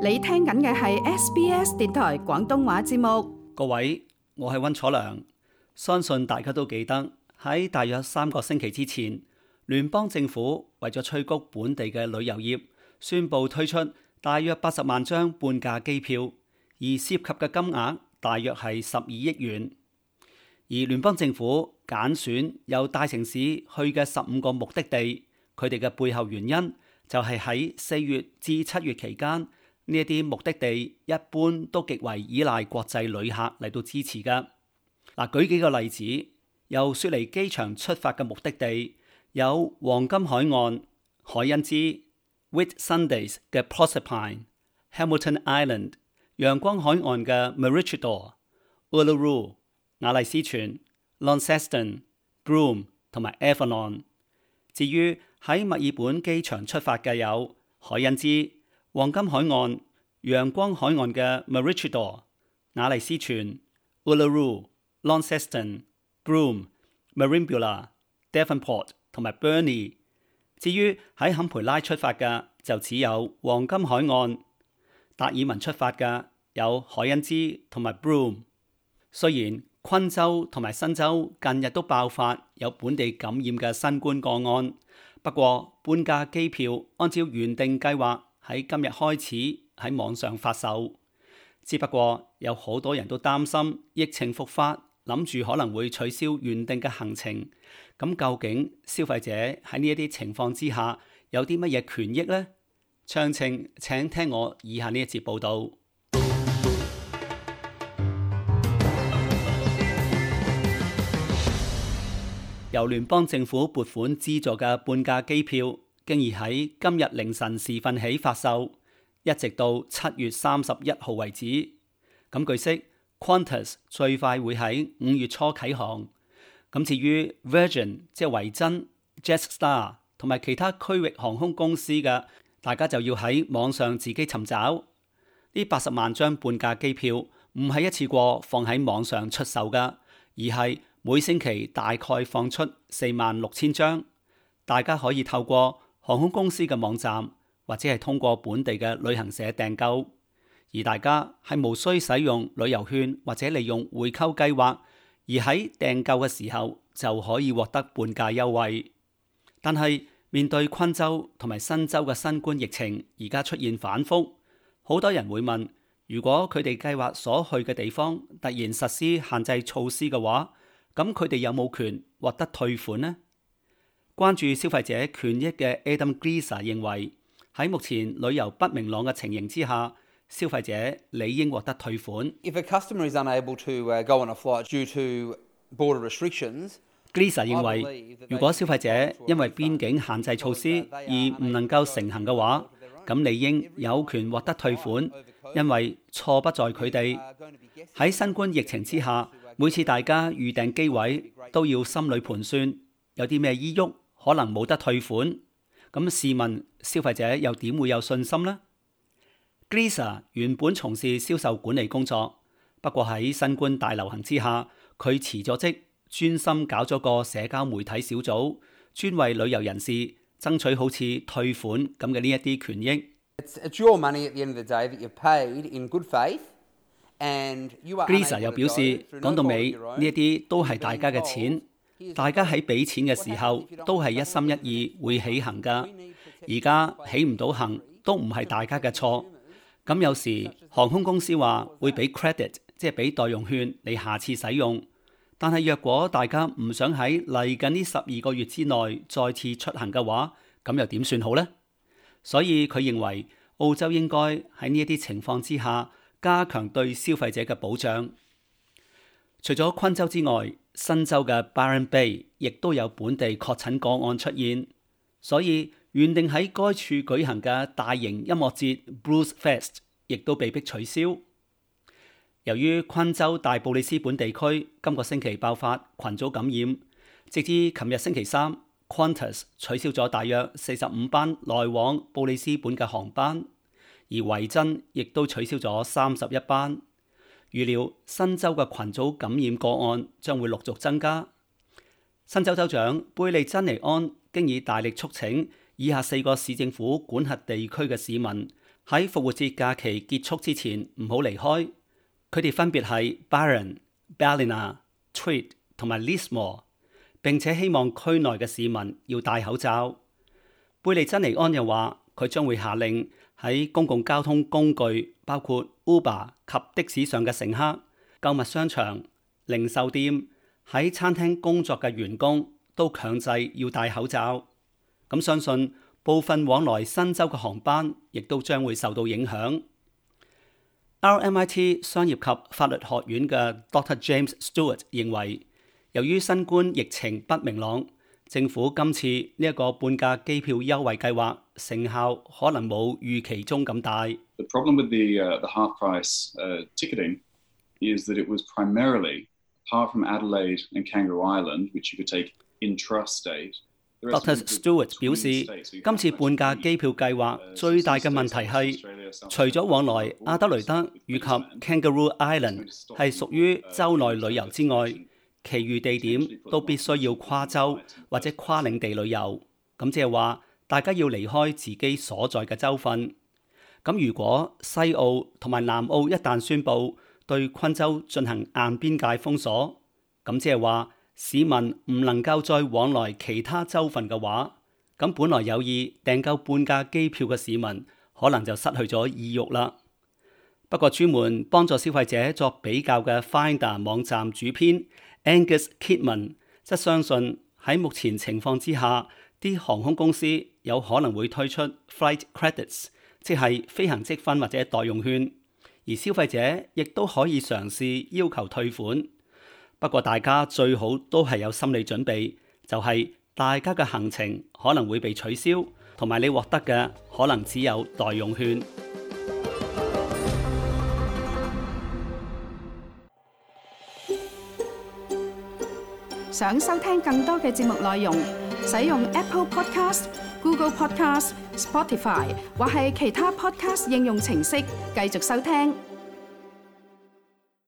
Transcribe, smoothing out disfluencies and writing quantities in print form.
你聽緊嘅係 SBS 電台廣東話節目。各位，我係溫楚良，相信大家都記得喺大約3個星期之前，聯邦政府為咗催谷本地嘅旅遊業，宣布推出大約80萬張半價機票，而涉及嘅金額大約係12億元。而聯邦政府揀選由大城市去嘅15個目的地，佢哋嘅背後原因就係喺4月至7月期間，呢一啲目的地一般都極為依賴國際旅客嚟到支持㗎。嗱，舉幾個例子，由雪梨機場出發嘅目的地有黃金海岸、海恩茲、Whitsundays 嘅 Proserpine、Hamilton Island、陽光海岸嘅 Maroochydore、Uluru、雅麗斯泉、Launceston、Broome 同埋 Avalon。至於喺墨爾本機場出發嘅有海恩茲、黃金海岸、陽光海岸嘅 Maroochydore、雅麗斯泉、Uluru、Launceston、Broome、Merimbula、Devonport 同埋 Burnie。至於喺坎培拉出發嘅就只有黃金海岸，達爾文出發嘅有海恩茲同埋 Broome。雖然昆州同埋新州近日都爆發有本地感染嘅新冠個案，不過半價機票按照原定計劃喺今日開始喺網上發售，只不過有好多人都擔心疫情復發，諗住可能會取消原定嘅行程。咁究竟消費者喺呢一啲情況之下有啲乜嘢權益呢？詳情請聽我以下呢一節報導。由聯邦政府撥款資助嘅半價機票，經已喺今日凌晨時分起發售，一直到7月31號為止。咁據悉 Qantas 最快會喺5月初啟航。咁至於 Virgin 即係維珍、Jetstar 同埋其他區域航空公司嘅，大家就要喺網上自己尋找。呢80萬張半價機票唔係一次過放喺網上出售㗎，而係每星期大概放出46,000張，大家可以透過航空公司嘅網站或者係通過本地嘅旅行社訂購，而大家係無需使用旅遊券或者利用回購計劃，而喺訂購嘅時候就可以獲得半價優惠。但係面對昆州同埋新州嘅新冠疫情而家出現反覆，好多人會問，如果佢哋計劃所去嘅地方突然實施限制措施嘅話，咁佢哋有冇權獲得退款呢？關注消費者權益嘅 Adam Gleeser 認為，喺目前旅遊不明朗嘅情形之下，消費者理應獲得退款。If a customer is unable to go on a flight due to border restrictions, Gleeser 認為，如果消費者因為邊境限制措施而唔能夠成行嘅話，咁理應有權獲得退款，因為錯不在佢哋。喺新冠疫情之下，每次大家預訂機位都要心裏盤算，有啲咩依郁可能冇得退款。咁試問消費者又點會有信心呢？ Gleeser 原本從事銷售管理工作，不過喺新冠大流行之下，佢辭咗職，專心搞咗個社交媒體小組，專為旅遊人士爭取好似退款咁嘅呢一啲權益。It's your money at the end of the day that you've paid in good faith, and you are. Gleeser 又表示，講到尾呢一啲都係大家嘅錢，大家喺俾錢嘅時候都係一心一意會起行㗎。而家起唔到行都唔係大家嘅錯。咁有時航空公司話會俾 credit， 即係俾代用券你下次使用。但係若果大家唔想喺嚟緊呢12個月之內再次出行嘅話，咁又點算好呢？所以佢認為澳洲應該喺呢一啲情況之下加強對消費者嘅保障。除咗昆州之外，新州嘅 Byron Bay 亦都有本地確診個案出現，所以原定喺該處舉行嘅大型音樂節 Blues Fest 亦都被迫取消。由於昆州大布里斯本地區今個星期爆發群組感染，直至琴日星期三， Qantas 取消咗大約45班來往布里斯本嘅航班，而維珍亦都取消咗31班。預料新州嘅群組感染個案將會陸續增加。新州州長貝利珍尼安經已大力促請以下4個市政府管轄地區嘅市民喺復活節假期結束之前唔好離開。佢哋分別係 Barron、Ballina、Tweed 同埋 Lismore， 並且希望區內嘅市民要戴口罩。貝利珍尼安又話，佢將會下令喺公共交通工具，包括 Uber 及的士上嘅乘客、購物商場、零售店、喺餐廳工作嘅員工都強制要戴口罩。咁相信部分往來新州嘅航班亦都將會受到影響。RMIT 商業及法律學院嘅 Dr. James Stewart 認為，由於新冠疫情不明朗，政府今次呢一個半價機票優惠計劃成效可能冇預期中咁大。The problem with the half price ticketing is that it was primarily, apart from Adelaide and Kangaroo Island, which you could take intrastate。Dr. Stewart 表示，今次半價機票計劃最大嘅問題係，除咗往來阿德雷德以及 Kangaroo Island 係屬於州內旅遊之外，其餘地點都必須要跨州或者跨領地旅遊。咁即係話，大家要離開自己所在嘅州份。咁如果西澳同埋南澳一旦宣布對昆州進行硬邊界封鎖，咁即係話，市民唔能夠再往來其他州份嘅話，咁本來有意訂購半價機票嘅市民可能就失去咗意欲啦。不過專門幫助消費者作比較嘅 Finder 網站主編 Angus Kidman 則相信喺目前情況之下，啲航空公司有可能會推出 Flight Credits， 即係飛行積分或者代用券，而消費者亦都可以嘗試要求退款。不過大家最好都係有心理準備，就係大家嘅行程可能會被取消，同埋你獲得嘅可能只有代用券。想收聽更多嘅節目內容，使用 Apple Podcast、Google Podcast、Spotify 或係其他 Podcast 應用程式繼續收聽。